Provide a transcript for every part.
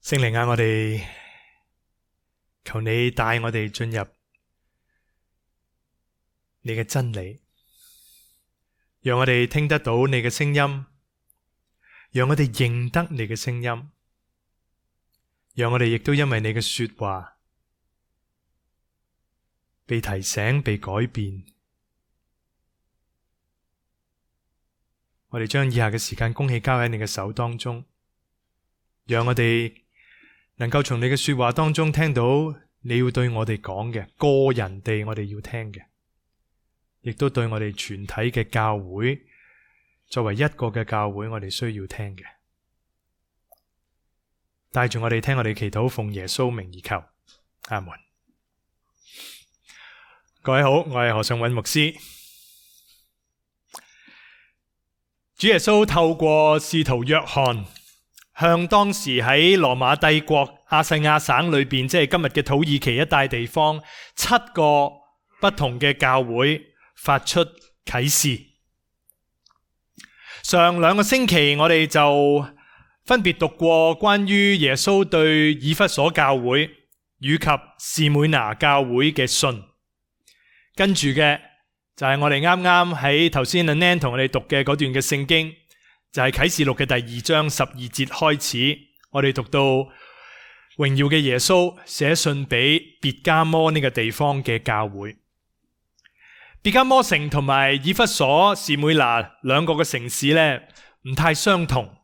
聖靈啊，我哋求你帶我哋進入你嘅真理，讓我哋聽得到你嘅聲音，讓我哋認得你嘅聲音，讓我哋亦都因為你嘅說話被提醒、被改變。我哋將以下嘅時間恭喜交喺你嘅手當中，讓我哋能夠從你嘅說話當中聽到你要對我哋講嘅，個人地我哋要聽嘅，亦都對我哋全體嘅教會，作為一個嘅教會，我哋需要聽嘅。帶住我哋聽我哋祈禱，奉耶穌名而求，阿門。各位好，我係何尚允牧師。主耶穌透過使徒約翰，向當時喺羅馬帝國亞細亞省裏邊，即係今日嘅土耳其一帶地方，7個不同嘅教會發出啟示。上2個星期我哋就分別讀過關於耶穌對以弗所教會以及士每拿教會嘅信，跟住嘅就係我哋啱啱喺頭先阿 Nan 同我哋讀嘅嗰段嘅聖經，就係啟示錄嘅第2章12節開始，我哋讀到榮耀嘅耶穌寫信俾別迦摩呢個地方嘅教會。別迦摩城同埋以弗所、士每拿2個嘅城市呢，唔太相同。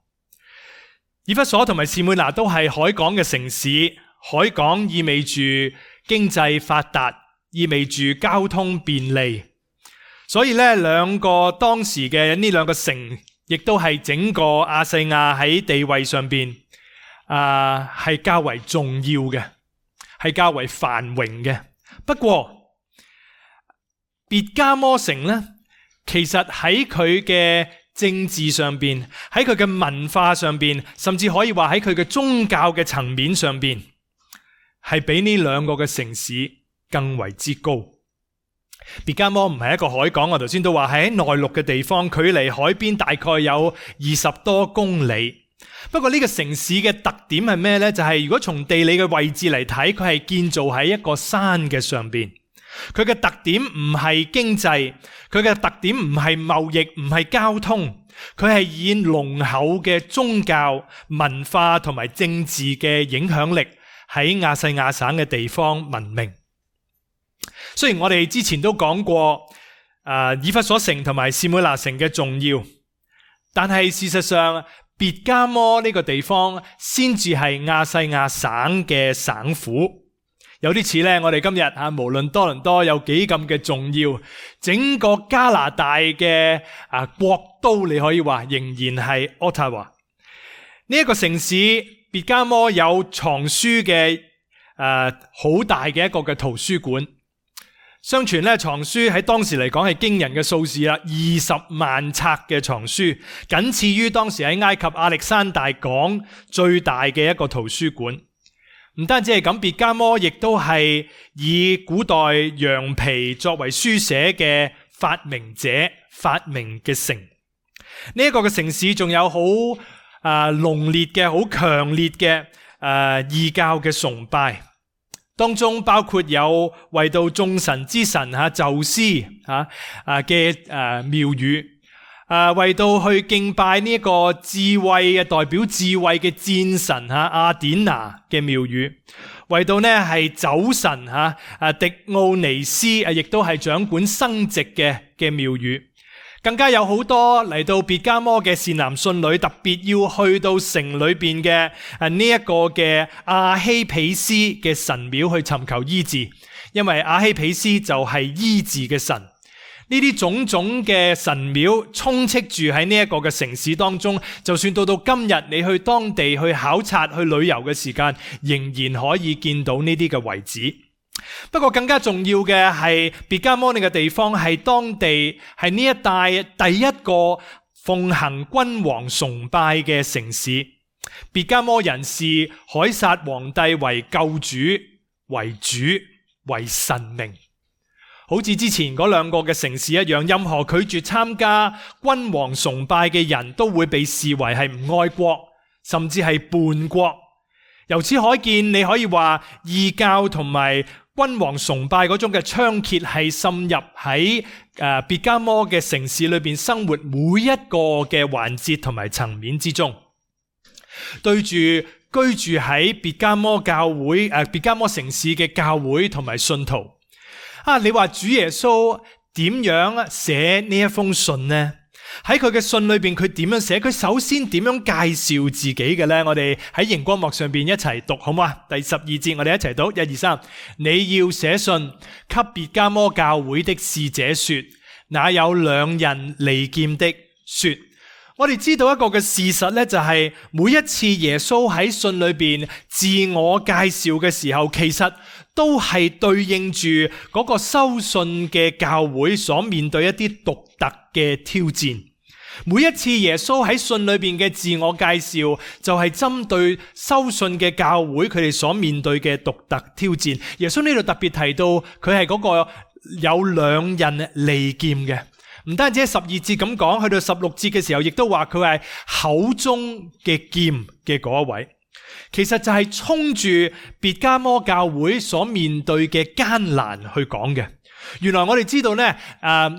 以弗所同埋士每拿都係海港嘅城市，海港意味住經濟發達，意味住交通便利，所以呢2個當時嘅呢2個城，亦都係整個亞細亞喺地位上邊係較為重要嘅，係較為繁榮嘅。不過別迦摩城呢，其實喺佢嘅政治上邊，喺佢嘅文化上邊，甚至可以話喺佢嘅宗教嘅層面上邊，係比呢2個嘅城市更為之高。別迦摩唔係一個海港，我頭先都話係喺內陸嘅地方，距離海邊大概有20多公里。不過呢個城市嘅特點係咩呢？就係如果從地理嘅位置嚟睇，佢係建造喺一個山嘅上邊。佢嘅特點唔係經濟，佢嘅特點唔係貿易，唔係交通，佢係以濃厚嘅宗教、文化同埋政治嘅影響力喺亞細亞省嘅地方聞名。雖然我哋之前都講過以弗所城同埋士每拿城嘅重要，但係事實上別迦摩呢個地方先至係亞細亞省嘅省府。有啲似我哋今日無論多倫多有幾咁嘅重要，整個加拿大嘅國都，你可以話仍然係 Ottawa 呢一個城市。別迦摩有藏書嘅好大嘅一個嘅圖書館。相傳藏書喺當時嚟講係驚人嘅數字啦，20萬冊嘅藏書，僅次於當時喺埃及亞歷山大港最大嘅一個圖書館。唔單止係咁，別迦摩亦都係以古代羊皮作為書寫嘅發明者發明嘅城。呢一個嘅城市仲有好濃烈嘅、好強烈嘅異教嘅崇拜。當中包括有為到眾神之神宙斯嘅廟宇，為到去敬拜呢一個智慧嘅代表智慧嘅戰神阿典娜嘅廟宇，為到係酒神迪奧尼斯亦都係掌管生殖嘅廟宇。更加有好多嚟到別迦摩嘅善男信女，特別要去到城裏邊嘅呢一個嘅阿希毗斯嘅神廟去尋求醫治，因為阿希毗斯就係醫治嘅神。呢啲種種嘅神廟充斥住喺呢一個嘅城市當中，就算到今日你去當地去考察去旅遊嘅時間，仍然可以見到呢啲嘅遺址。不過更加重要嘅係別迦摩呢個地方係當地係呢一帶第一個奉行君王崇拜嘅城市。別迦摩人視凱撒皇帝為救主、為主、為神明。好似之前嗰2個嘅城市一樣，任何拒絕參加君王崇拜嘅人都會被視為係唔愛國，甚至係叛國。由此可見，你可以話異教同埋君王崇拜嗰種嘅猖獗係滲入喺別迦摩嘅城市裏邊生活每一個嘅環節同埋層面之中。對住居住喺別迦摩教會別迦摩城市嘅教會同埋信徒，你話主耶穌點樣寫呢一封信呢？喺佢嘅信裏邊，佢點樣寫？佢首先點樣介紹自己嘅呢？我哋喺熒光幕上邊一齊讀好唔好啊？第12節我哋一齊讀，1、2、3。你要寫信給別迦摩教會的使者說，那有兩人利劍的說。我哋知道一個嘅事實呢，就係每一次耶穌喺信裏邊自我介紹嘅時候，其實都係對應住嗰個收信嘅教會所面對一啲獨特嘅挑戰。每一次耶穌喺信裏邊嘅自我介紹，就係針對收信嘅教會佢哋所面對嘅獨特挑戰。耶穌呢度特別提到佢係嗰個有兩刃利劍嘅。唔單止喺12節咁講，去到16節嘅時候，亦都話佢係口中嘅劍嘅嗰一位。其實就係衝住別迦摩教會所面對嘅艱難去講嘅。原來我哋知道呢，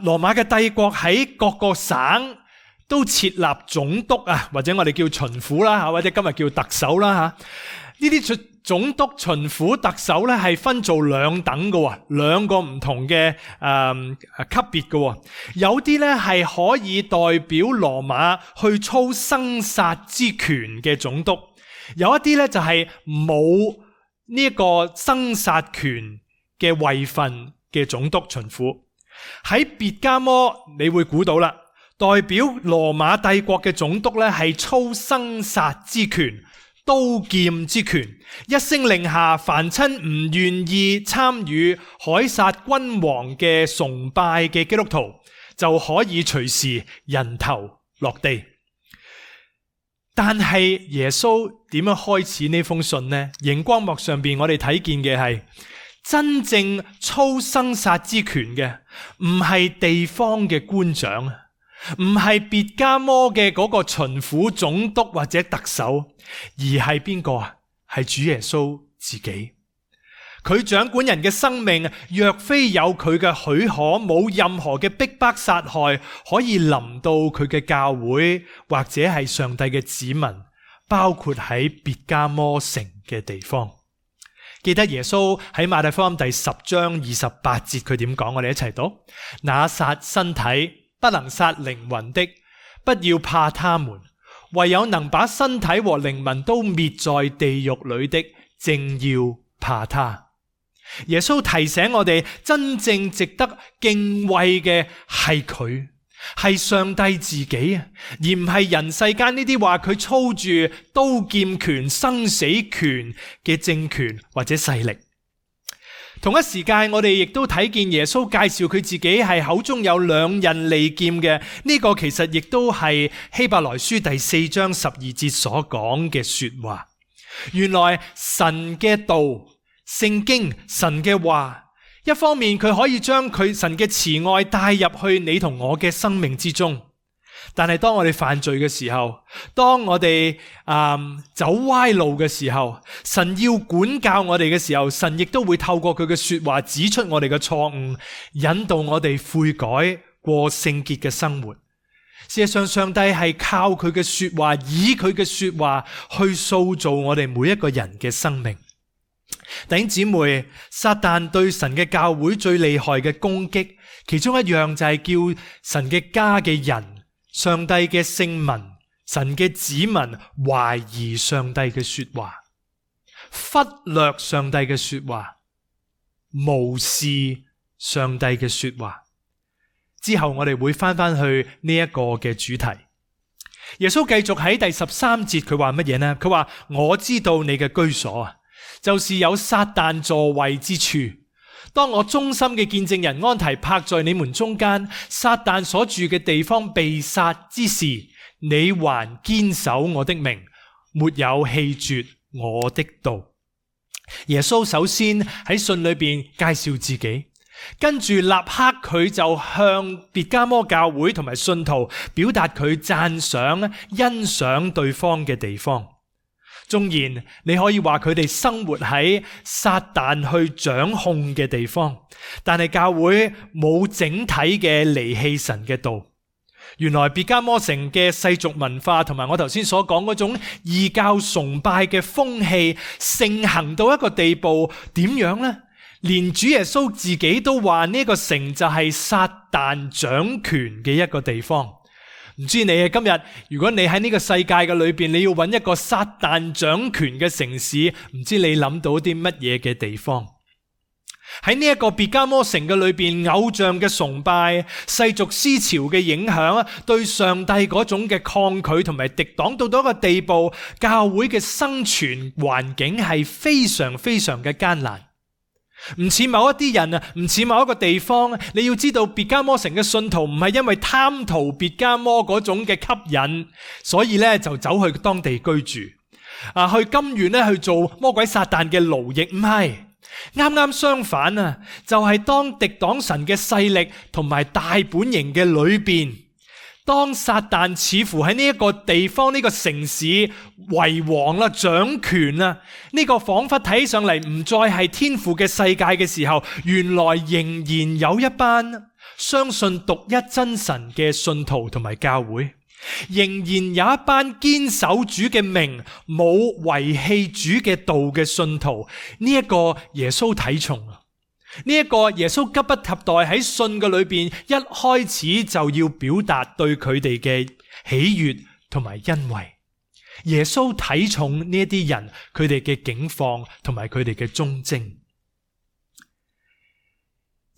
羅馬嘅帝國喺各個省都設立總督啊，或者我哋叫巡撫啦，或者今日叫特首啦吓。呢啲總督、巡撫、特首咧係分做兩等嘅，兩個唔同嘅級別嘅。有啲咧係可以代表羅馬去操生殺之權嘅總督，有一啲咧就係冇呢一個生殺權嘅位份嘅總督、巡撫。喺別迦摩，你會估到啦，代表羅馬帝國嘅總督咧係操生殺之權。刀劍之權，一聲令下，凡親唔願意參與凱撒君王嘅崇拜嘅基督徒，就可以隨時人頭落地。但係耶穌點樣開始呢封信呢？熒光幕上邊我哋睇見嘅係真正操生殺之權嘅，唔係地方嘅官長，唔係別迦摩嘅嗰個巡撫、總督或者特首，而係邊個啊？係主耶穌自己。佢掌管人嘅生命，若非有佢嘅許可，冇任何嘅逼迫殺害可以臨到佢嘅教會，或者係上帝嘅子民，包括喺別迦摩城嘅地方。記得耶穌喺馬太福音第10章28節佢點講？我哋一齊讀：那殺身體不能殺靈魂的，不要怕他們；唯有能把身體和靈魂都滅在地獄裏的，正要怕他。耶穌提醒我哋，真正值得敬畏嘅係佢，係上帝自己啊，而唔係人世間呢啲話佢操住刀劍權、生死權嘅政權或者勢力。同一時間，我哋亦都睇見耶穌介紹佢自己係口中有兩刃利劍嘅，呢個其實亦都係希伯來書第4章12節所講嘅說話。原來神嘅道、聖經、神嘅話，一方面佢可以將佢神嘅慈愛帶入去你同我嘅生命之中，但係當我哋犯罪嘅時候，當我哋走歪路嘅時候，神要管教我哋嘅時候，神亦都會透過佢嘅說話指出我哋嘅錯誤，引導我哋悔改，過聖潔嘅生活。事實上，上帝係靠佢嘅說話，以佢嘅說話去塑造我哋每一個人嘅生命。弟兄姊妹，撒旦對神嘅教會最厲害嘅攻擊，其中一樣就係叫神嘅家嘅人、上帝嘅聖民、神嘅子民懷疑上帝嘅說話，忽略上帝嘅說話，無視上帝嘅說話。之後我哋會翻去呢一個嘅主題。耶穌繼續喺第13節，佢話乜嘢呢？佢話：我知道你嘅居所啊，就是有撒旦座位之處。當我忠心嘅見證人安提帕在你們中間，撒旦所住嘅地方被殺之時，你還堅守我的名，沒有棄絕我的道。耶穌首先喺信裏邊介紹自己，跟住立刻佢就向別迦摩教會同埋信徒表達佢讚賞、欣賞對方嘅地方。縱然你可以話佢哋生活喺撒旦去掌控嘅地方，但係教會冇整體嘅離棄神嘅道。原來別迦摩城嘅世俗文化同埋我頭先所講嗰種異教崇拜嘅風氣盛行到一個地步，點樣呢？連主耶穌自己都話呢個城就係撒旦掌權嘅一個地方。唔知你今日，如果你喺呢個世界嘅裏邊，你要揾一個撒旦掌權嘅城市，唔知你諗到啲乜嘢嘅地方？喺呢一個別迦摩城嘅裏邊，偶像嘅崇拜、世俗思潮嘅影響，對上帝嗰種嘅抗拒同埋敵擋到一個地步，教會嘅生存環境係非常非常嘅艱難。唔似某一啲人啊，唔似某一個地方，你要知道別迦摩城嘅信徒唔係因為貪圖別迦摩嗰種嘅吸引，所以咧就走去當地居住，去甘願咧去做魔鬼撒旦嘅奴役，唔係。啱啱相反啊，就係當敵擋神嘅勢力同埋大本營嘅裏邊，當撒旦似乎喺呢一個地方呢個城市為王啦、掌權啦，呢個仿佛睇上嚟唔再係天父嘅世界嘅時候，原來仍然有一班相信獨一真神嘅信徒同埋教會，仍然有一班堅守主嘅名、冇遺棄主嘅道嘅信徒。呢一個耶穌睇重啊！呢一個耶穌急不及待喺信嘅裏邊一開始就要表達對佢哋嘅喜悅同埋欣慰。耶穌睇重呢一啲人，佢哋嘅境況同埋佢哋嘅忠貞。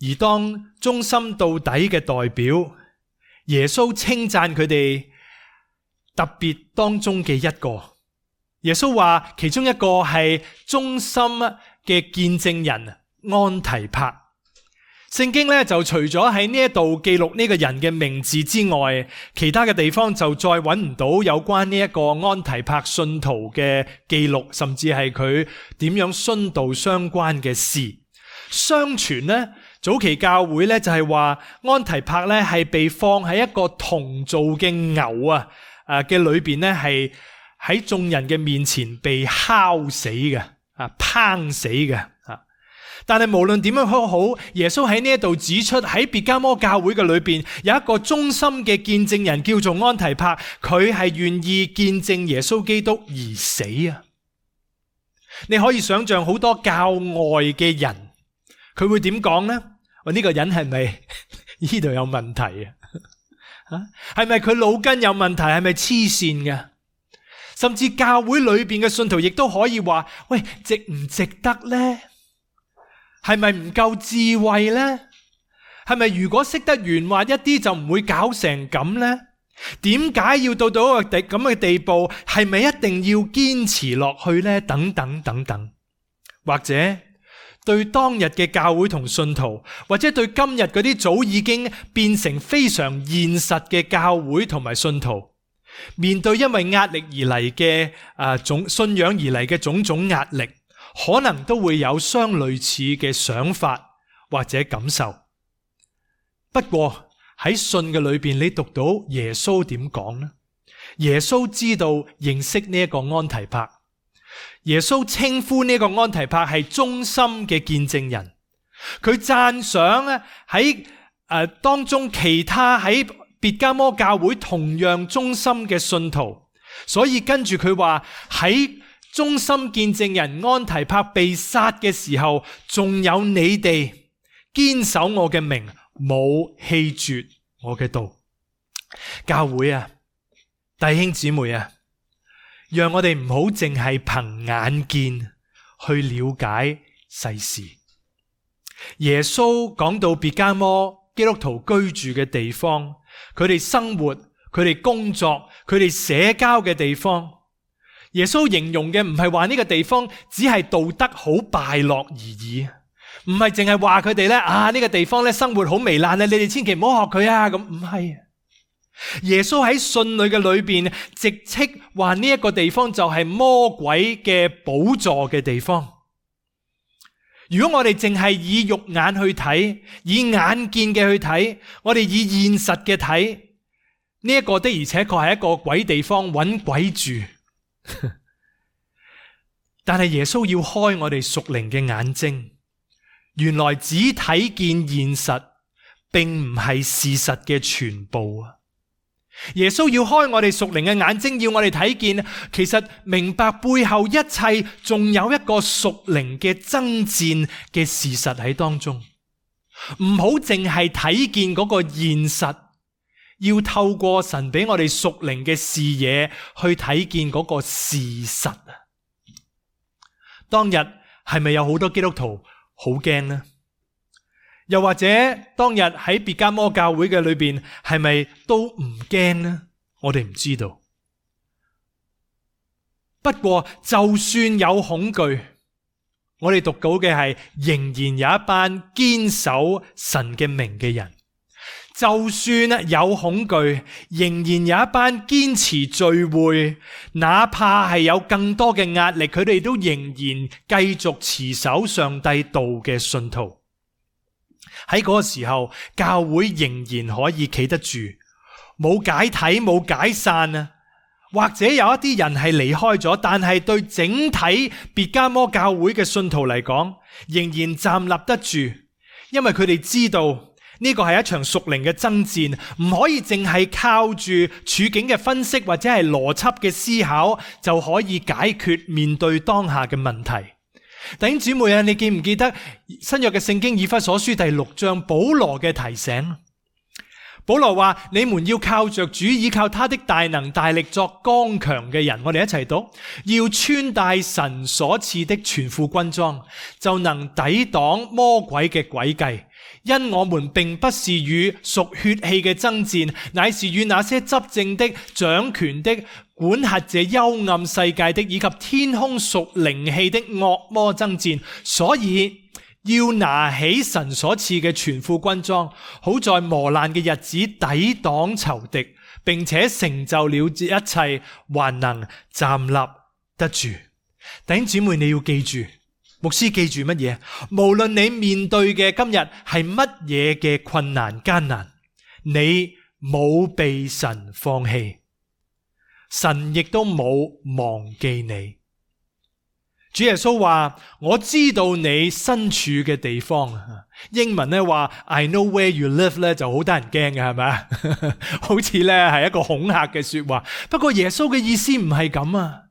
而當忠心到底嘅代表，耶穌稱讚佢哋特別當中嘅一個。耶穌話其中一個係忠心嘅見證人安提帕。聖經咧就除咗喺呢一度記錄呢個人嘅名字之外，其他嘅地方就再揾唔到有關呢一個安提帕信徒嘅記錄，甚至係佢點樣殉道相關嘅事。相傳呢，早期教會咧就係話安提帕咧係被放喺一個銅做嘅牛嘅裏邊咧，係喺眾人嘅面前被烤死嘅，烹死嘅。但係無論點樣好，耶穌喺呢一度指出喺別迦摩教會嘅裏邊有一個忠心嘅見證人叫做安提帕，佢係願意見證耶穌基督而死啊！你可以想象好多教外嘅人，佢會點講呢？呢個人係咪呢度有問題啊？係咪佢腦筋有問題？係咪黐線嘅？甚至教會裏邊嘅信徒亦都可以話：喂，值唔值得呢？係咪唔夠智慧呢？係咪如果識得圓滑一啲就唔會搞成咁呢？點解要到一個咁嘅地步？係咪一定要堅持落去呢？等等等等，或者對當日嘅教會同信徒，或者對今日嗰啲早已經變成非常現實嘅教會同埋信徒，面對因為壓力而嚟嘅信仰而嚟嘅種種壓力，可能都會有相類似嘅想法或者感受。不過喺信嘅裏邊，你讀到耶穌點講呢？耶穌知道認識呢一個安提帕，耶穌稱呼呢個安提帕係忠心嘅見證人，佢讚賞喺當中其他喺別迦摩教會同樣忠心嘅信徒，所以跟住佢話喺忠心見證人安提帕被殺嘅時候，仲有你哋堅守我嘅名，冇棄絕我嘅道。教會啊，弟兄姊妹啊，讓我哋唔好淨係憑眼見去了解世事。耶穌講到別迦摩基督徒居住嘅地方，佢哋生活、佢哋工作、佢哋社交嘅地方，耶穌形容嘅唔係話呢個地方只係道德好敗落而已，唔係淨係話佢哋咧呢個地方咧生活好糜爛，你哋千祈唔好學佢啊，咁唔係。耶穌喺信裏嘅裏邊直斥話呢一個地方就係魔鬼嘅寶座嘅地方。如果我哋淨係以肉眼去睇，以眼見嘅去睇，我哋以現實嘅睇，呢一個的而且確係一個鬼地方，搵鬼住。但係耶穌要開我哋屬靈嘅眼睛，原來只睇見現實，並唔係事實嘅全部啊！耶穌要開我哋屬靈嘅眼睛，要我哋睇見，其實明白背後一切，仲有一個屬靈嘅爭戰嘅事實喺當中。唔好淨係睇見嗰個現實，要透過神俾我哋屬靈嘅視野去睇見嗰個事實啊！當日係咪有好多基督徒好驚呢？又或者當日喺別迦摩教會嘅裏邊係咪都唔驚呢？我哋唔知道。不過就算有恐懼，我哋讀到嘅係仍然有一班堅守神嘅名嘅人。就算有恐懼，仍然有一班堅持聚會，哪怕係有更多嘅壓力，佢哋都仍然繼續持守上帝道嘅信徒。喺嗰個時候，教會仍然可以企得住，冇解體，冇解散啊。或者有一啲人係離開咗，但係對整體別迦摩教會嘅信徒嚟講，仍然站立得住，因為佢哋知道呢個係一場屬靈嘅爭戰，唔可以淨係靠住處境嘅分析或者係邏輯嘅思考就可以解決面對當下嘅問題。弟兄姊妹啊，你記唔記得新約嘅聖經以弗所書第6章保羅嘅提醒？保羅話：你們要靠着主，依靠他的大能大力作剛強嘅人。我哋一齊讀，要穿戴神所賜的全副軍裝，就能抵擋魔鬼嘅詭計。因我們並不是與屬血氣嘅爭戰，乃是與那些執政的、掌權的、管轄這幽暗世界的，以及天空屬靈氣的惡魔爭戰。所以要拿起神所賜嘅全副軍裝，好在磨難嘅日子抵擋仇敵，並且成就了一切，還能站立得住。弟兄姊妹，你要記住，牧師記住乜嘢？無論你面對嘅今日係乜嘢嘅困難艱難，你冇被神放棄，神亦都冇忘記你。主耶穌話：我知道你身處嘅地方。英文咧話 I know where you live 咧就好得人驚嘅，係咪？好似咧係一個恐嚇嘅說話。不過耶穌嘅意思唔係咁啊。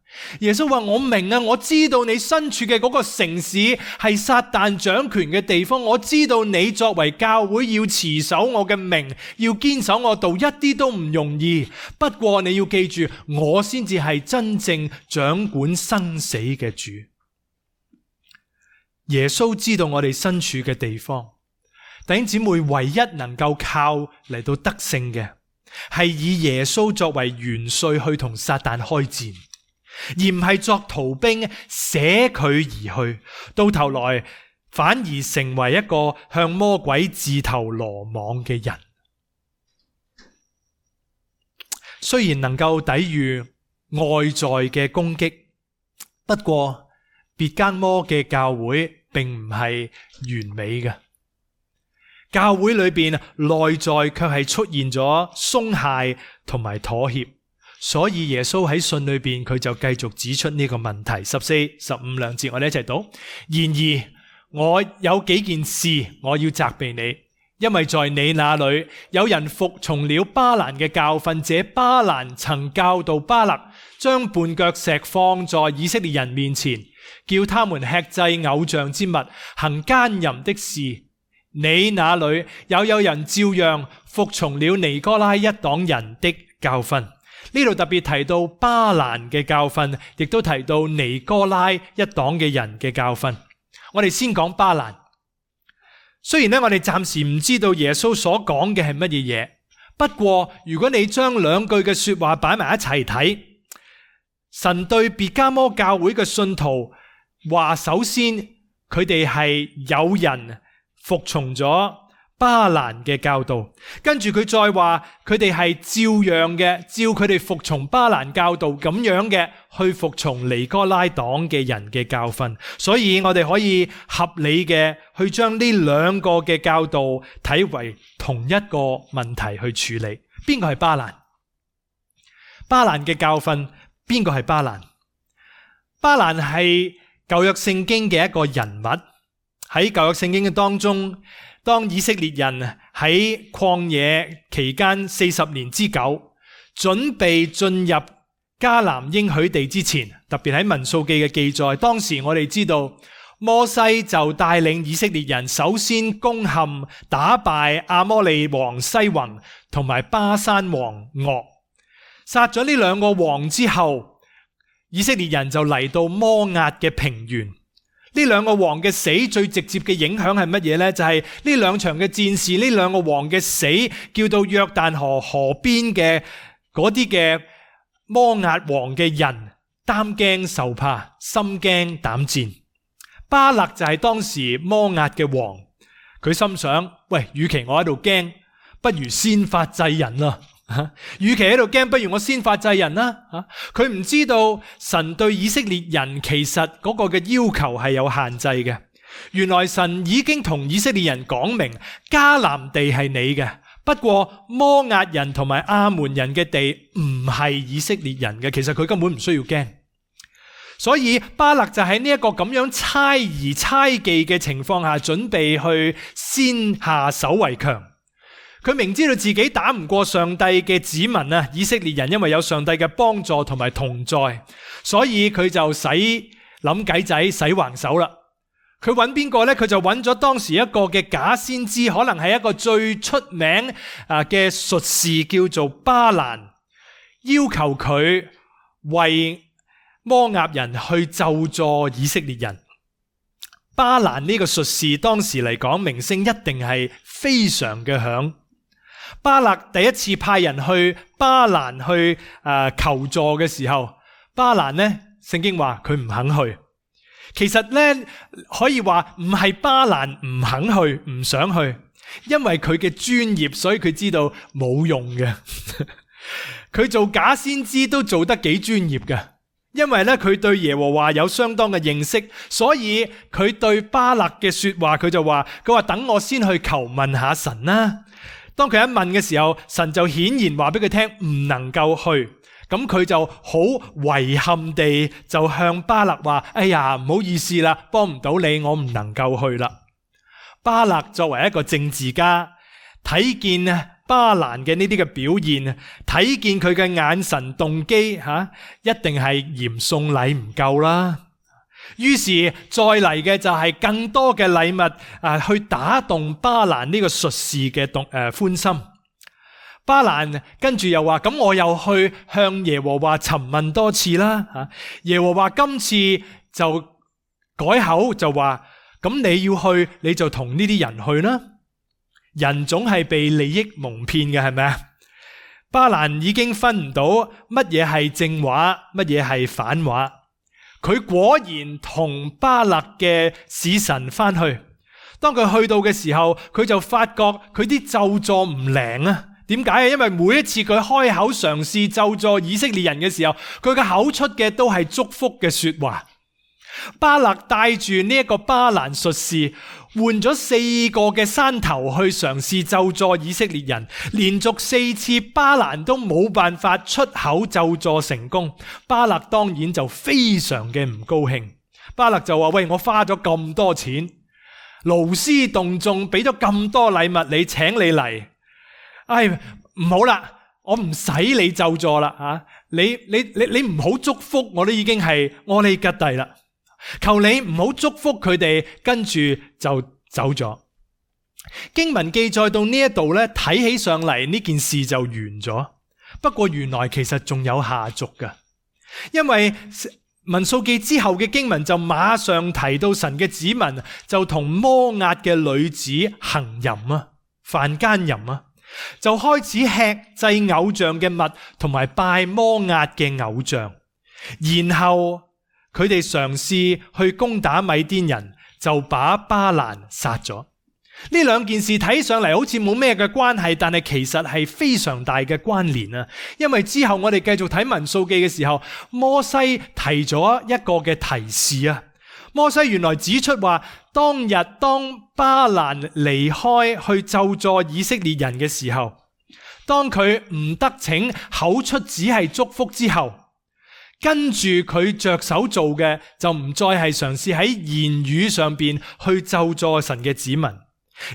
耶穌話：我明啊，我知道你身處嘅嗰個城市係撒旦掌權嘅地方，我知道你作為教會要持守我嘅名，要堅守我道，一啲都唔容易。不過你要記住，我先至係真正掌管生死嘅主。耶穌知道我哋身處嘅地方，弟兄姊妹，唯一能夠靠嚟到得勝嘅，係以耶穌作為元帥去同撒旦開戰，而唔係作逃兵捨佢而去，到頭來反而成為一個向魔鬼自投羅網嘅人。雖然能夠抵禦外在嘅攻擊，不過別迦摩嘅教會並唔係完美嘅，教會裏邊內在卻係出現咗鬆懈同埋妥協，所以耶穌喺信裏邊佢就繼續指出呢個問題。14、15兩節我哋一齊讀。然而我有幾件事我要責備你，因為在你那裏有人服從了巴蘭嘅教訓，這巴蘭曾教導巴勒將絆腳石放在以色列人面前，叫他們吃祭偶像之物，行奸淫的事。你那裏有人照樣服從了尼哥拉一黨人的教訓。呢度特別提到巴蘭嘅教訓，亦都提到尼哥拉一黨嘅人嘅教訓。我哋先講巴蘭。雖然我哋暫時唔知道耶穌所講嘅係乜嘢嘢，不過如果你將兩句嘅說話擺埋一齊睇，神對別迦摩教會嘅信徒話，首先佢哋係有人服從咗巴蘭嘅教導，跟住佢再話佢哋係照樣嘅，照佢哋服從巴蘭教導咁樣嘅去服從尼哥拉黨嘅人嘅教訓。所以我哋可以合理嘅去將呢兩個嘅教導睇為同一個問題去處理。邊個係巴蘭？巴蘭嘅教訓，邊個係巴蘭？巴蘭係舊約聖經嘅一個人物。喺舊約聖經嘅當中，當以色列人喺曠野期間40年之久，準備進入迦南應許地之前，特別喺民數記嘅記載，當時我哋知道摩西就帶領以色列人首先攻陷打敗亞摩利王西宏同埋巴珊王噩，殺咗呢兩個王之後，以色列人就嚟到摩押嘅平原。呢兩個王嘅死最直接嘅影響係乜嘢呢？就係呢兩場嘅戰事，呢兩個王嘅死，叫到約旦河河邊嘅嗰啲嘅摩押王嘅人擔驚受怕，心驚膽戰。巴勒就係當時摩押嘅王，佢心想：喂，與其我喺度驚，不如先發制人啦。與其喺度驚，不如我先發制人啦。佢唔知道神對以色列人其實嗰個嘅要求係有限制嘅。原來神已經同以色列人講明，迦南地係你嘅，不過摩押人同埋亞捫人嘅地唔係以色列人嘅。其實佢根本唔需要驚。所以巴勒就喺呢一個咁樣猜疑猜忌嘅情況下，準備去先下手為強。佢明知道自己打唔過上帝嘅子民啊，以色列人因為有上帝嘅幫助同埋同在，所以佢就諗計仔使橫手啦。佢揾邊個呢？佢就揾咗當時一個嘅假先知，可能係一個最出名嘅術士，叫做巴蘭，要求佢為摩押人去咒詛以色列人。巴蘭呢個術士當時嚟講，名聲一定係非常嘅響。巴勒第一次派人去巴蘭去求助嘅時候，巴蘭呢，聖經話佢唔肯去。其實呢，可以話唔係巴蘭唔肯去，唔想去，因為佢嘅專業，所以佢知道冇用嘅。佢做假先知都做得幾專業嘅，因為呢，佢對耶和華有相當嘅認識，所以佢對巴勒嘅說話，佢話等我先去求問下神啦。當佢一問嘅時候，神就顯然話俾佢聽唔能夠去，咁佢就好遺憾地就向巴勒話：哎呀，唔好意思啦，幫唔到你，我唔能夠去啦。巴勒作為一個政治家，睇見巴蘭嘅呢啲嘅表現，睇見佢嘅眼神動機，一定係嫌送禮唔夠啦。於是再嚟嘅就係更多嘅禮物去打動巴蘭呢個術士嘅歡心。巴蘭跟住又話：咁我又去向耶和華詢問多次啦。耶和華今次就改口就話：咁你要去，你就同呢啲人去啦。人總係被利益蒙騙嘅，係咪啊？巴蘭已經分唔到乜嘢係正話，乜嘢係反話。佢果然同巴勒嘅使臣翻去，當佢去到嘅時候，佢就發覺佢啲咒詛唔靈啊。點解啊？因為每一次佢開口嘗試咒詛以色列人嘅時候，佢嘅口出嘅都係祝福嘅說話。巴勒帶住呢一個巴蘭術士，換咗4個嘅山頭去嘗試咒詛以色列人，連續4次巴蘭都冇辦法出口咒詛成功。巴勒當然就非常嘅唔高興。巴勒就話：喂，我花咗咁多錢，勞師動眾，俾咗咁多禮物你，請你嚟，唉，唔好啦，我唔使你咒詛啦，你唔好祝福，我都已經係阿里吉蒂啦。求你唔好祝福佢哋，跟住就走咗。經文記載到呢一度咧，睇起上嚟呢件事就完咗。不過原來其實仲有下續㗎，因為民數記之後嘅經文就馬上提到神嘅子民就同摩押嘅女子行淫啊，犯奸淫啊，就開始吃祭偶像嘅物，同埋拜摩押嘅偶像，然後佢哋嘗試去攻打米甸人，就把巴蘭殺咗。呢兩件事睇上嚟好似冇咩嘅關係，但係其實係非常大嘅關聯啊！因為之後我哋繼續睇民數記嘅時候，摩西提咗一個嘅提示啊。摩西原來指出話，當巴蘭離開去咒詛以色列人嘅時候，當佢唔得逞，口出只係祝福之後，跟住佢着手做嘅就唔再係嘗試喺言語上邊去咒詛神嘅子民。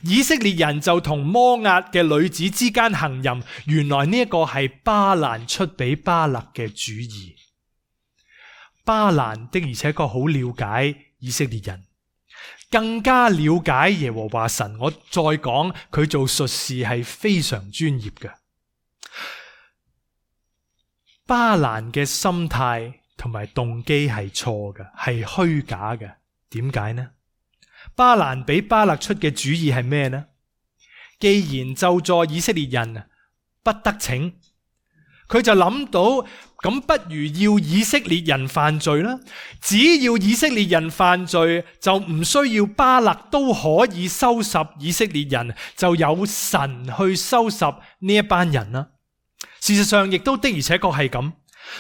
以色列人就同摩押嘅女子之間行淫，原來呢一個係巴蘭出俾巴勒嘅主意。巴蘭的而且確好了解以色列人，更加了解耶和華神。我再講，佢做術士係非常專業嘅。巴蘭嘅心態同埋動機係錯嘅，係虛假嘅。點解呢？巴蘭俾巴勒出嘅主意係咩呢？既然咒詛以色列人不得逞，佢就諗到，咁不如要以色列人犯罪啦。只要以色列人犯罪，就唔需要巴勒都可以收拾以色列人，就有神去收拾呢一班人啦。事實上亦都的而且確係咁。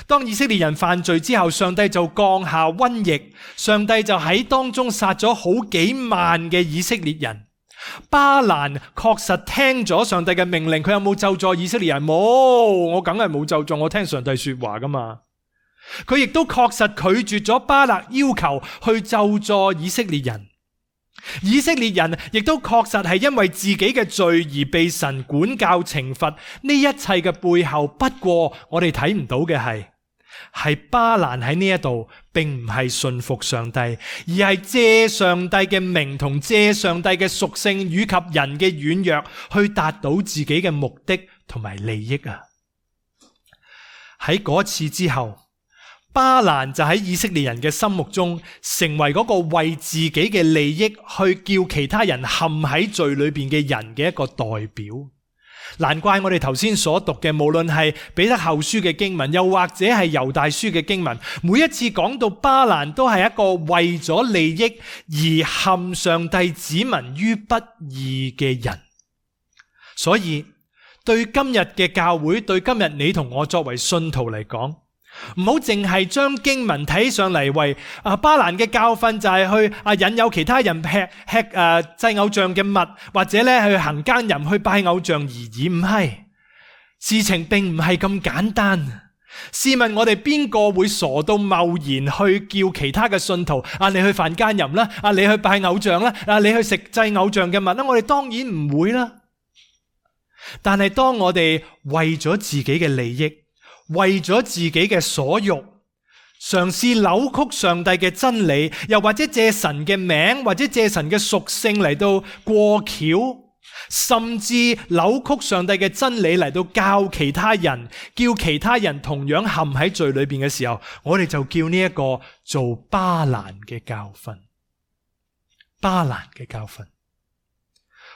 當以色列人犯罪之後，上帝就降下瘟疫，上帝就喺當中殺咗好幾萬嘅以色列人。巴蘭確實聽咗上帝嘅命令，佢有冇咒詛以色列人？冇，我梗係冇咒詛，我聽上帝說話噶嘛。佢亦都確實拒絕咗巴勒要求去咒詛以色列人。以色列人亦都確實係因為自己嘅罪而被神管教懲罰。呢一切嘅背後，不過我哋睇唔到嘅係巴蘭喺呢一度並唔係信服上帝，而係借上帝嘅名同借上帝嘅屬性以及人嘅軟弱去達到自己嘅目的同埋利益啊！喺嗰次之後，巴蘭就喺以色列人嘅心目中成為嗰個為自己嘅利益去叫其他人陷喺罪裏邊嘅人嘅一個代表。難怪我哋頭先所讀嘅，無論係彼得後書嘅經文，又或者係猶大書嘅經文，每一次講到巴蘭都係一個為咗利益而陷上帝子民於不義嘅人。所以對今日嘅教會，對今日你同我作為信徒嚟講，唔好淨係將經文睇上嚟為巴蘭嘅教訓就係去引誘其他人吃祭偶像嘅物，或者咧去行奸淫去拜偶像而已。唔係，事情並唔係咁簡單。試問我哋邊個會傻到貿然去叫其他嘅信徒你去犯奸淫啦，你去拜偶像啦，你去食祭偶像嘅物啦？我哋當然唔會啦。但係當我哋為咗自己嘅利益，為咗自己嘅所欲，嘗試扭曲上帝嘅真理，又或者借神嘅名，或者借神嘅屬性嚟到過橋，甚至扭曲上帝嘅真理嚟到教其他人，叫其他人同樣陷喺罪裏邊嘅時候，我哋就叫呢一個做巴蘭嘅教訓。巴蘭嘅教訓，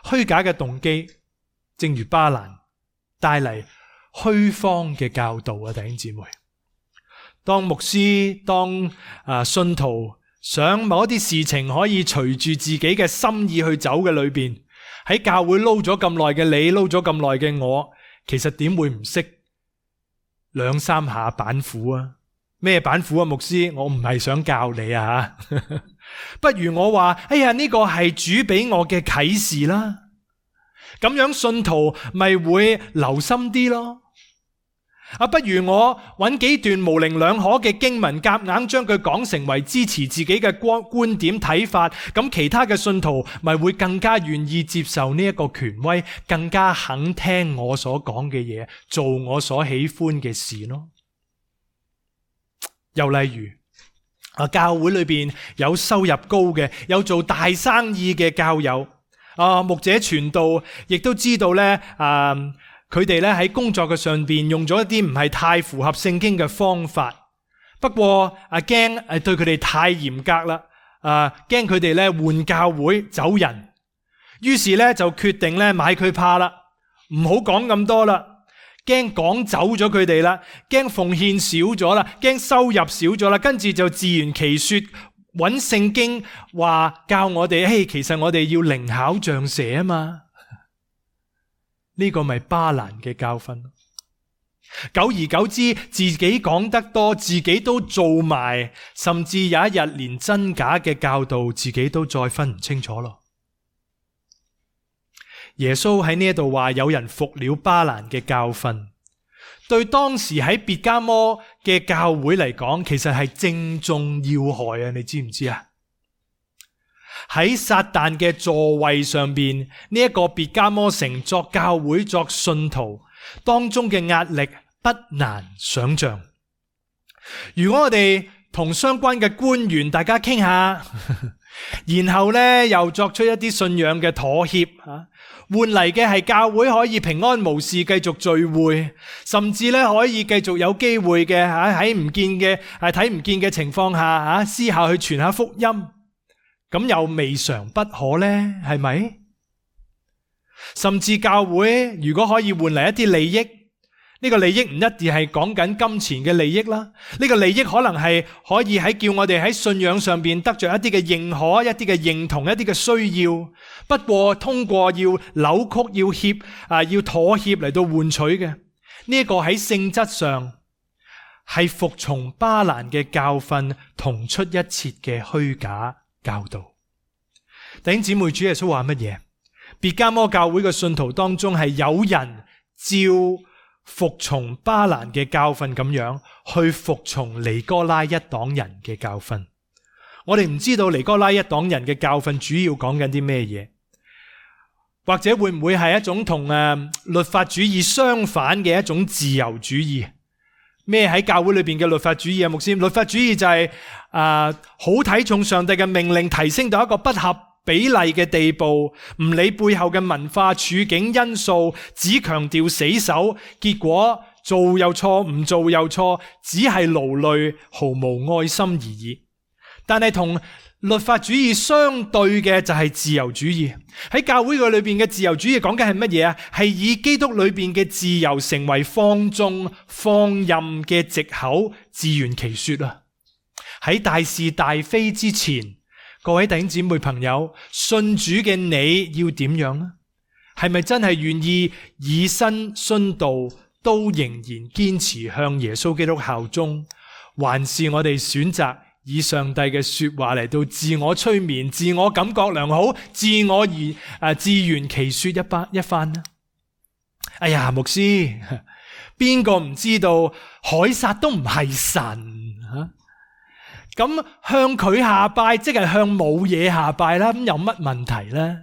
虛假嘅動機，正如巴蘭帶嚟虛謊嘅教導啊！弟兄姊妹，當牧師、當信徒想某一啲事情可以隨住自己嘅心意去走嘅裏邊，喺教會撈咗咁耐嘅你，撈咗咁耐嘅我，其實點會唔識兩三下板斧啊？咩板斧啊？牧師，我唔係想教你啊不如我話，哎呀，呢個係主俾我嘅啟示啦，咁樣信徒咪會留心啲咯。不如我揾幾段模棱兩可嘅經文，夾硬將佢講成為支持自己嘅觀點睇法，咁其他嘅信徒咪會更加願意接受呢一個權威，更加肯聽我所講嘅嘢，做我所喜歡嘅事咯。又例如教會裏邊有收入高嘅，有做大生意嘅教友，牧者傳道亦都知道咧，佢哋咧喺工作嘅上邊用咗一啲唔係太符合聖經嘅方法，不過驚對佢哋太嚴格啦，驚佢哋咧換教會走人，於是咧就決定咧買佢怕啦，唔好講咁多啦，驚趕走咗佢哋啦，驚奉獻少咗啦，驚收入少咗啦，跟住就自圓其說，揾聖經話教我哋，其實我哋要靈巧像蛇啊嘛。呢個咪巴蘭嘅教訓。久而久之，自己講得多，自己都做埋，甚至有一日連真假嘅教導自己都再分唔清楚咯。耶穌喺呢一度話有人服了巴蘭嘅教訓，對當時喺別迦摩嘅教會嚟講，其實係正中要害啊！你知唔知啊？喺撒旦嘅座位上邊，呢一個別迦摩城作教會作信徒當中嘅壓力不難想象。如果我哋同相關嘅官員大家傾下，然後呢又作出一啲信仰嘅妥協，換嚟嘅係教會可以平安無事繼續聚會，甚至呢可以繼續有機會嘅喺唔見嘅睇唔見嘅情況下私下去傳下福音，咁又未嘗不可呢？係咪？甚至教會如果可以換嚟一啲利益，呢個利益唔一定係講緊金錢嘅利益啦，呢個利益可能係可以喺叫我哋喺信仰上邊得着一啲嘅認可、一啲嘅認同、一啲嘅需要。不過通過要扭曲、要妥協嚟到換取嘅呢一個喺性質上係服從巴蘭嘅教訓同出一轍嘅虛假教導。弟兄姊妹，主耶穌話乜嘢？別迦摩教會嘅信徒當中係有人照服從巴蘭嘅教訓咁樣去服從尼哥拉一黨人嘅教訓。我哋唔知道尼哥拉一黨人嘅教訓主要講緊啲咩嘢，或者會唔會係一種同律法主義相反嘅一種自由主義？咩喺教會裏邊嘅律法主義啊？牧師，律法主義就係好睇重上帝嘅命令，提升到一個不合比例嘅地步，唔理背後嘅文化處境因素，只強調死守，結果做又錯，唔做又錯，只係勞累，毫無愛心而已。但係同律法主義相對嘅就係自由主義。喺教會裏邊嘅自由主義講緊係乜嘢啊？係以基督裏邊嘅自由成為放縱放任嘅藉口，自圓其說啊！喺大是大非之前，各位弟兄姊妹朋友，信主嘅你要點樣呢？係咪真係願意以身殉道，都仍然堅持向耶穌基督效忠，還是我哋選擇以上帝嘅說話嚟到自我催眠、自我感覺良好、自圓其說一番呢？哎呀，牧師，邊個唔知道凱撒都唔係神？咁向佢下拜，即係向冇嘢下拜啦。咁有乜問題呢？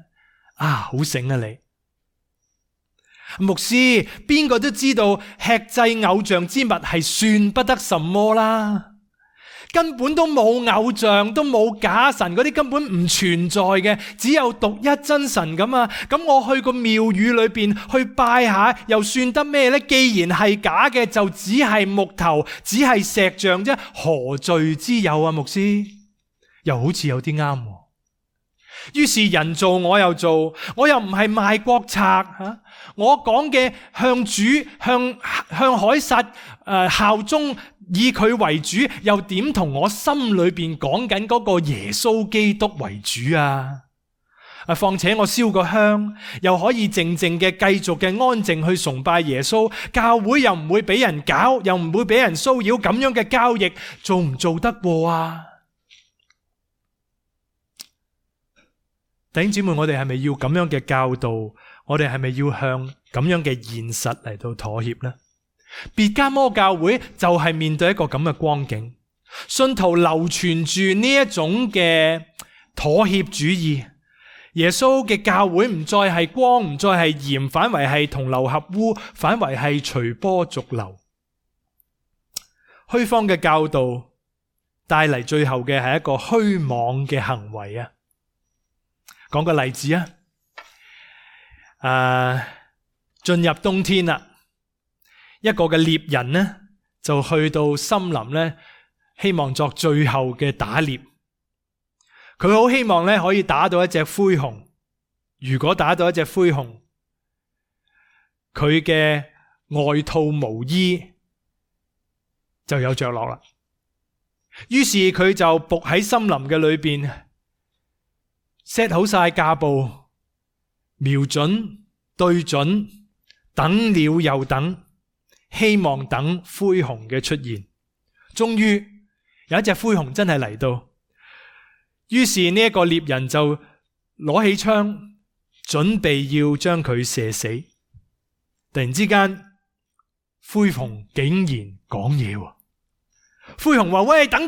好醒啊你！牧師，邊個都知道吃祭偶像之物係算不得什麼啦。根本都冇偶像，都冇假神，嗰啲根本唔存在嘅，只有獨一真神咁啊！咁我去個廟宇裏邊去拜下，又算得咩呢？既然係假嘅，就只係木頭，只係石像啫，何罪之有啊？牧師，又好似有啲啱。於是人做我又做，我又唔係賣國賊吓，我講嘅向主向凱撒效忠，以佢為主，又點同我心裏邊講緊嗰個耶穌基督為主啊？況且我燒個香，又可以靜靜嘅繼續嘅安靜去崇拜耶穌，教會又唔會俾人搞，又唔會俾人騷擾，咁樣嘅交易做唔做得過啊？弟兄姊妹，我哋係咪要咁樣嘅教導？我哋係咪要向咁樣嘅現實嚟到妥協呢？別迦摩教會就係面對一個咁嘅光景，信徒流傳住呢一種嘅妥協主義。耶穌嘅教會唔再係光，唔再係鹽，反為係同流合污，反為係隨波逐流。虛謊嘅教導帶嚟最後嘅係一個虛妄嘅行為啊！講個例子啊，進入冬天啦，一個嘅獵人呢就去到森林呢，希望作最後嘅打獵。佢好希望呢可以打到一隻灰熊。如果打到一隻灰熊，佢嘅外套毛衣就有着落啦。於是佢就伏喺森林嘅裏邊，set 好晒架步，瞄準對準，等了又等，希望等灰熊嘅出現。終於有一隻灰熊真係嚟到，於是呢一個獵人就攞起槍，準備要將佢射死。突然之間，灰熊竟然講嘢喎。灰熊話：喂，等，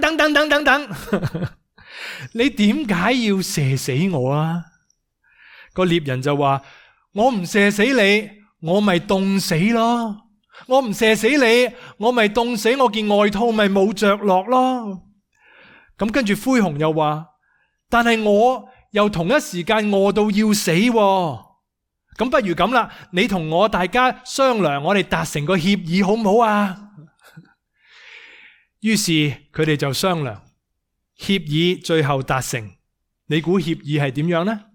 你點解要射死我啊？個獵人就話：我唔射死你，我咪凍死咯。我唔射死你，我咪凍死，我件外套咪冇着落咯。咁跟住灰熊又話：但係我又同一時間餓到要死喎。咁不如咁啦，你同我大家商量，我哋達成個協議好唔好啊？於是佢哋就商量，協議最後達成。你估協議係點樣呢？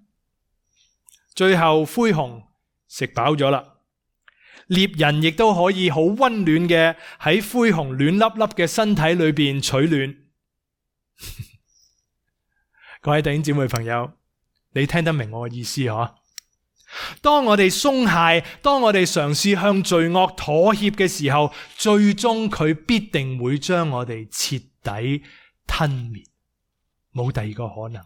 最後灰熊食飽咗啦，獵人亦都可以好溫暖嘅喺灰熊暖粒粒嘅身體裏邊取暖。各位弟兄姊妹朋友，你聽得明我嘅意思嗬？當我哋鬆懈，當我哋嘗試向罪惡妥協嘅時候，最終佢必定會將我哋徹底吞滅，冇第二個可能。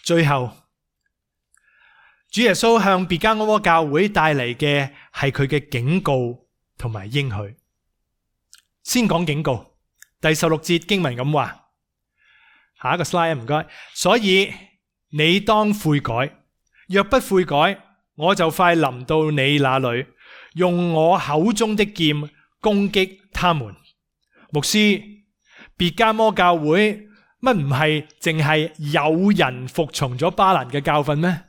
最後，主耶穌向別加摩教會帶嚟嘅係佢嘅警告同埋應許。先講警告，第16節經文咁話。下一個 slide 唔該。所以你當悔改，若不悔改，我就快臨到你那裏，用我口中的劍攻擊他們。牧師，別加摩教會乜唔係淨係有人服從咗巴蘭嘅教訓咩？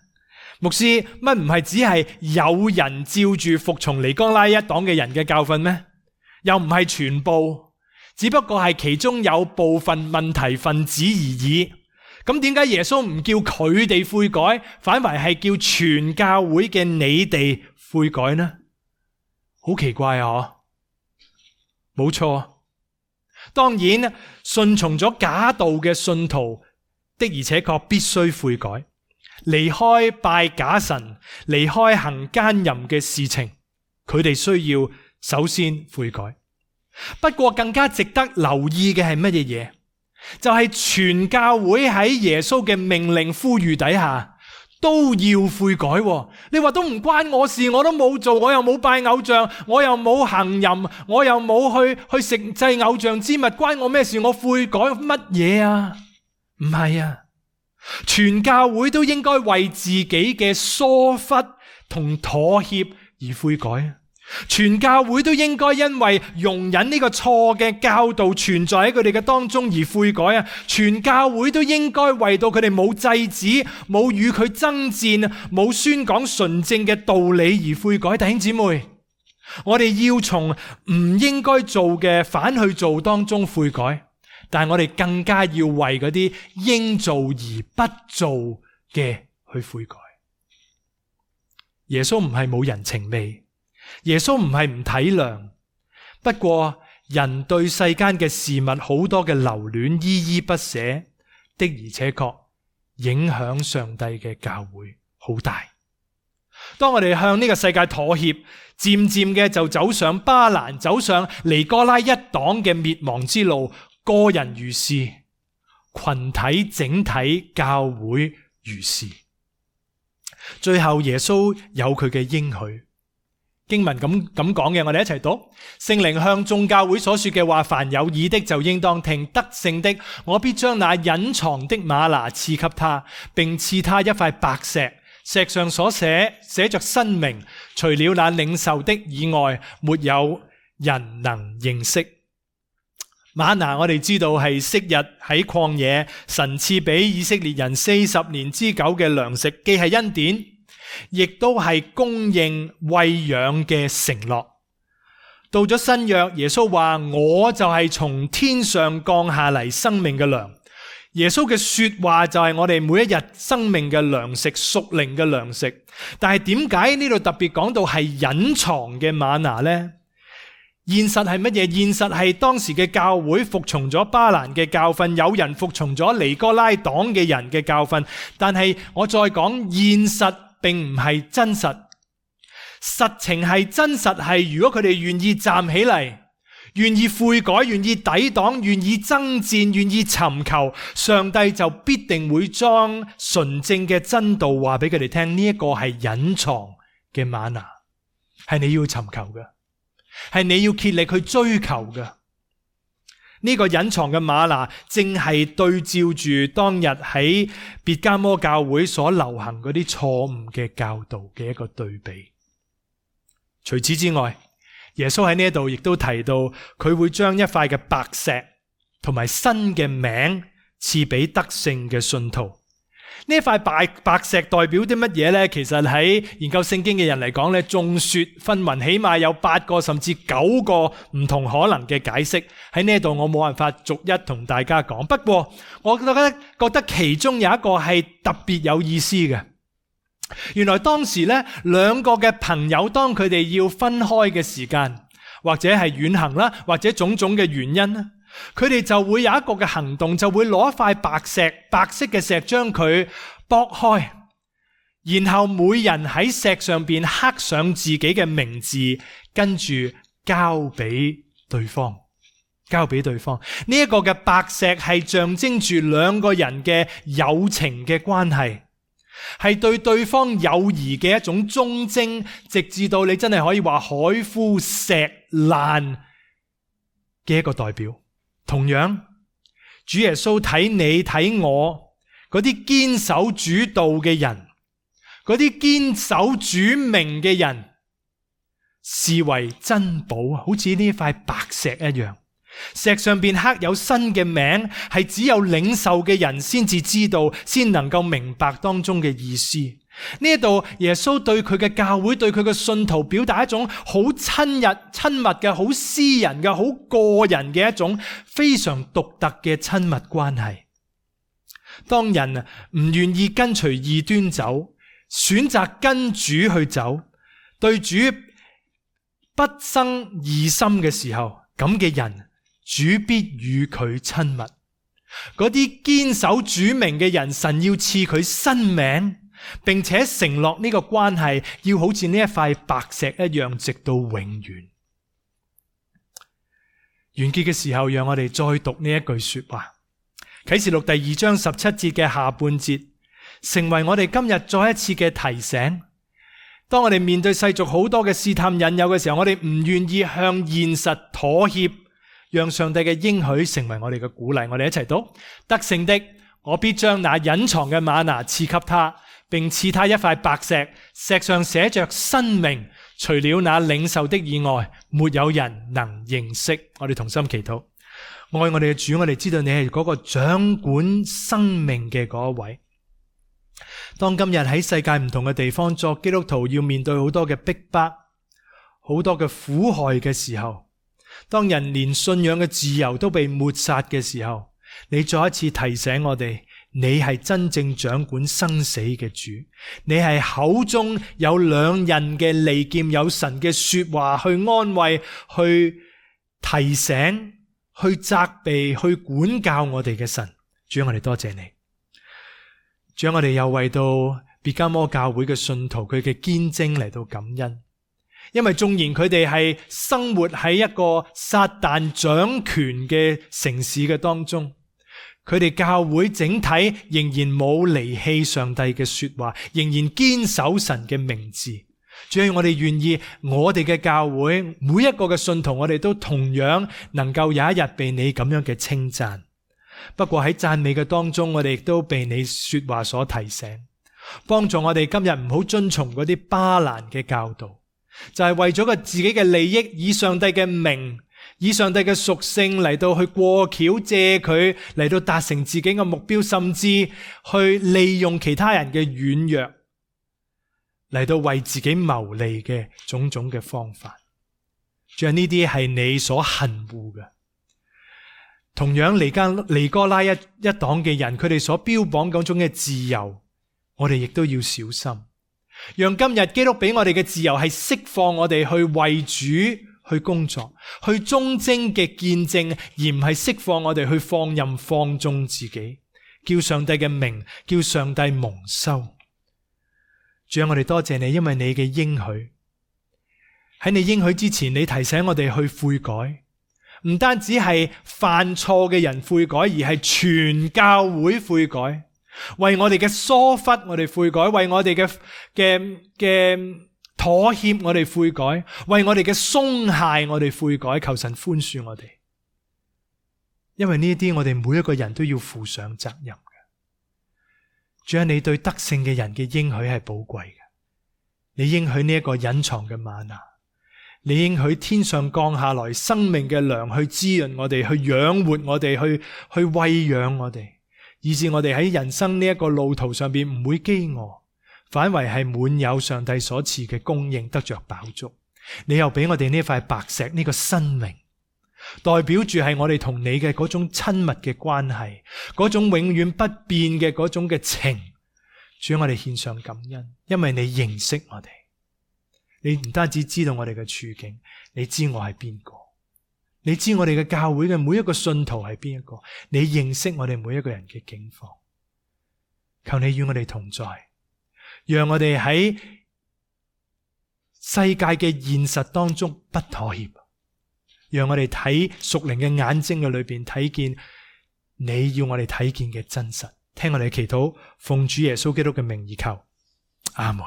牧師，乜唔係只係有人照住服從尼哥拉一黨嘅人嘅教訓咩？又唔係全部，只不過係其中有部分問題分子而已。咁點解耶穌唔叫佢哋悔改，反為係叫全教會嘅你哋悔改呢？好奇怪啊！冇錯，當然順從咗假道嘅信徒的而且確必須悔改，離開拜假神，離開行奸淫嘅事情，佢哋需要首先悔改。不過更加值得留意嘅係乜嘢嘢？就係全教會喺耶穌嘅命令呼籲底下都要悔改。你話都唔關我事，我都冇做，我又冇拜偶像，我又冇行淫，我又冇去食祭偶像之物，關我咩事？我悔改乜嘢啊？唔係啊，全教會都應該為自己嘅疏忽同妥協而悔改。全教會都應該因為容忍呢個錯嘅教導存在喺佢哋嘅當中而悔改啊！全教會都應該為到佢哋冇制止、冇與佢爭戰、冇宣講純正嘅道理而悔改。弟兄姊妹，我哋要從唔應該做嘅反去做當中悔改，但係我哋更加要為嗰啲應做而不做嘅去悔改。耶穌唔係冇人情味，耶穌唔係唔體諒，不過人對世間嘅事物好多嘅留戀依依不捨，的而且確影響上帝嘅教會好大。當我哋向呢個世界妥協，漸漸嘅就走上巴蘭，走上尼哥拉一黨嘅滅亡之路。個人如是，群體整體教會如是。最後耶穌有佢嘅應許。經文咁講嘅，我哋一齊讀。聖靈向眾教會所說嘅話，凡有耳的就應當聽。得勝的，我必將那隱藏的嗎哪賜給他，並賜他一塊白石，石上所寫着新名，除了那領受的以外，沒有人能認識。嗎哪我哋知道係昔日喺曠野神賜俾以色列人40年之久嘅糧食，既係恩典，亦都係供應餵養嘅承諾。到咗新約，耶穌話我就係從天上降下嚟生命嘅糧。耶穌嘅說話就係我哋每一日生命嘅糧食，屬靈嘅糧食。但係點解呢度特別講到係隱藏嘅嗎哪呢？現實係乜嘢？現實係當時嘅教會服從咗巴蘭嘅教訓，有人服從咗尼哥拉黨嘅人嘅教訓。但係我再講，現實並唔係真實，實情係真實係，如果佢哋願意站起嚟，願意悔改，願意抵擋，願意爭戰，願意尋求，上帝就必定會將純正嘅真道話俾佢哋聽。呢一個係隱藏嘅嗎哪，係你要尋求嘅，係你要竭力去追求嘅。呢個隱藏嘅嗎哪，正係對照住當日喺別迦摩教會所流行嗰啲錯誤嘅教導嘅一個對比。除此之外，耶穌喺呢度亦都提到，佢會將一塊嘅白石同埋新嘅名賜俾得勝嘅信徒。呢一塊白石代表啲乜嘢呢？其實喺研究聖經嘅人嚟講呢，眾說紛紜，起碼有8個甚至9個唔同可能嘅解釋。喺呢度我冇辦法逐一同大家講，不過我覺得其中有一個係特別有意思嘅。原來當時呢，兩個嘅朋友當佢哋要分開嘅時間，或者係遠行啦，或者種種嘅原因啦，佢哋就會有一個嘅行動，就會攞一塊白色嘅石將佢剝開，然後每人喺石上邊刻上自己嘅名字，跟住交俾對方。呢一個嘅白石係象徵住兩個人嘅友情嘅關係，係對對方友誼嘅一種忠貞，直至到你真係可以話海枯石爛嘅一個代表。同樣，主耶穌睇你睇我嗰啲堅守主道嘅人，嗰啲堅守主名嘅人，視為珍寶，好似呢塊白石一樣。石上邊刻有新嘅名，係只有領受嘅人先至知道，先能夠明白當中嘅意思。呢一度耶穌對佢嘅教會，對佢嘅信徒表達一種好親密嘅、好私人嘅、好個人嘅一種非常獨特嘅親密關係。當人唔願意跟隨異端走，選擇跟主去走，對主不生異心嘅時候，咁嘅人主必與佢親密。嗰啲堅守主名嘅人，神要賜佢新名，並且承諾呢個關係要好似呢一塊白石一樣，直到永遠。完結嘅時候，讓我哋再讀呢一句說話，啟示錄第2章17節嘅下半節，成為我哋今日再一次嘅提醒。當我哋面對世俗好多嘅試探引誘嘅時候，我哋唔願意向現實妥協，讓上帝嘅應許成為我哋嘅鼓勵。我哋一齊讀：得勝的，我必將那隱藏嘅嗎哪賜給他，並賜他一塊白石，石上寫着新名，除了那領受的以外，沒有人能認識。我哋同心祈禱。愛我哋嘅主，我哋知道你係嗰個掌管生命嘅嗰一位。當今日喺世界唔同嘅地方作基督徒要面對好多嘅逼迫，好多嘅苦害嘅時候，當人連信仰嘅自由都被抹殺嘅時候，你再一次提醒我哋，你係真正掌管生死嘅主，你係口中有兩刃嘅利劍，有神嘅說話去安慰，去提醒，去責備，去管教我哋嘅神。主，我哋多謝你。主，我哋又為到別迦摩教會嘅信徒佢嘅堅貞嚟到感恩，因為縱然佢哋係生活喺一個撒旦掌權嘅城市嘅當中，佢哋教會整體仍然冇離棄上帝嘅說話，仍然堅守神嘅名字。主要我哋願意我哋嘅教會每一個嘅信徒，我哋都同樣能夠有一日被你咁樣嘅稱讚。不過喺讚美嘅當中，我哋亦都被你說話所提醒，幫助我哋今日唔好遵從嗰啲巴蘭嘅教導，就係為咗個自己嘅利益，以上帝嘅名，以上帝嘅屬性嚟到去過橋，借佢嚟到達成自己嘅目標，甚至去利用其他人嘅軟弱嚟到為自己謀利嘅種種嘅方法。仲有呢啲係你所恨惡嘅。同樣尼哥拉一黨嘅人，佢哋所標榜嗰種嘅自由，我哋亦都要小心。讓今日基督俾我哋嘅自由係釋放我哋去為主去工作，去忠貞嘅見證，而唔係釋放我哋去放任放縱自己，叫上帝嘅名，叫上帝蒙羞。主啊，我哋多謝你，因為你嘅應許，喺你應許之前，你提醒我哋去悔改。唔單止係犯錯嘅人悔改，而係全教會悔改，為我哋嘅疏忽我哋悔改，為我哋嘅怠妥協我哋悔改，為我哋嘅鬆懈我哋悔改，求神寬恕我哋。因為呢啲我哋每一個人都要負上責任嘅。主啊，你對得勝嘅人嘅應許係寶貴嘅。你應許呢一個隱藏嘅嗎哪，你應許天上降下來生命嘅糧去滋潤我哋，去養活我哋，去餵養我哋，以致我哋喺人生呢一個路途上邊唔會飢餓，反為係滿有上帝所賜嘅供應，得着飽足。你又俾我哋呢塊白石，呢個生命，代表住係我哋同你嘅嗰種親密嘅關係，嗰種永遠不變嘅嗰種嘅情。主，我哋獻上感恩，因為你認識我哋，你唔單止知道我哋嘅處境，你知我係邊個，你知我哋嘅教會嘅每一個信徒係邊一個，你認識我哋每一個人嘅境況。求你與我哋同在，讓我哋喺世界嘅現實當中不妥協，讓我哋睇屬靈嘅眼睛嘅裏邊睇見你要我哋睇見嘅真實。聽我哋祈禱，奉主耶穌基督嘅名而求，阿門。